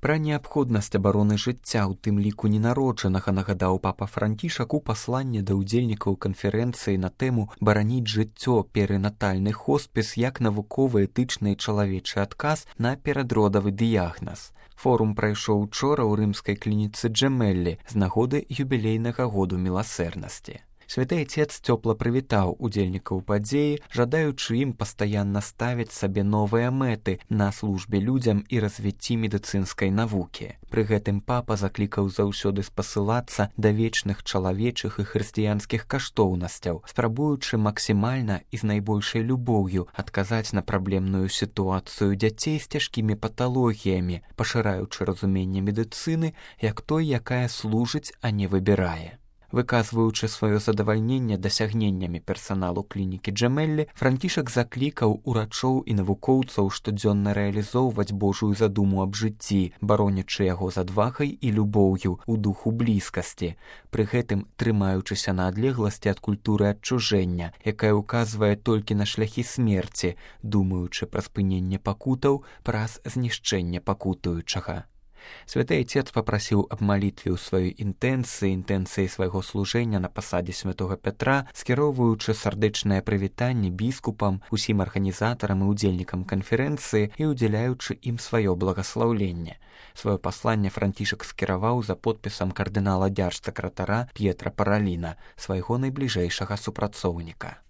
Пра неабходнасць абароны жыцця, у тым ліку ненароджанага, нагадаў папа Францішак у пасланні да ўдзельнікаў канферэнцыі на тэму «Бараніць жыццё. Перынатальны хоспіс як навуковы, этычны і чалавечы адказ на перадродавы дыягназ». Форум прайшоў учора ў рымскай клініцы Джемеллі з нагоды юбілейнага году міласэрнасці. Святы Отец цёпла прывітаў удзельнікаў падзеі, жадаючы ім пастаянна ставіць сабе новыя мэты на службе людзям і развіцці медыцынскай навукі. Пры гэтым папа заклікаў заўсёды спасылацца да вечных чалавечых і хрысціянскіх каштоўнасцяў, спрабуючы максімальна і з найбольшай любоўю адказаць на праблемную сітуацыю дзяцей з цяжкімі паталогіямі, пашыраючы разуменне медыцыны як той, якая служыць, а не выбірае. Выказваючы сваё задавальненне дасягненнямі персаналу клінікі Джемеллі, Францішак заклікаў урачоў і навукоўцаў штодзённа рэалізоўваць Божую задуму аб жыцці, баронячы яго з адвагай і любоўю у духу блізкасці, пры гэтым трымаючыся на адлегласці ад культуры адчужэння, якая ўказвае толькі на шляхі смерці, думаючы пра спыненне пакутаў праз знішчэнне пакутуючага. Святы Отец папрасіў аб малітве ў сваёй інтэнцыі свайго служэння на пасадзе святога Пятра, скіроўваючы сардэчнае прывітанне біскупам, усім арганізатарам і удзельнікам канферэнцыі і удзяляючы ім сваё благаслаўленне. Сваё пасланне Францішак скіраваў за подпісам кардынала дзяржсакратара П'етра Параліна, свайго найбліжэйшага супрацоўніка.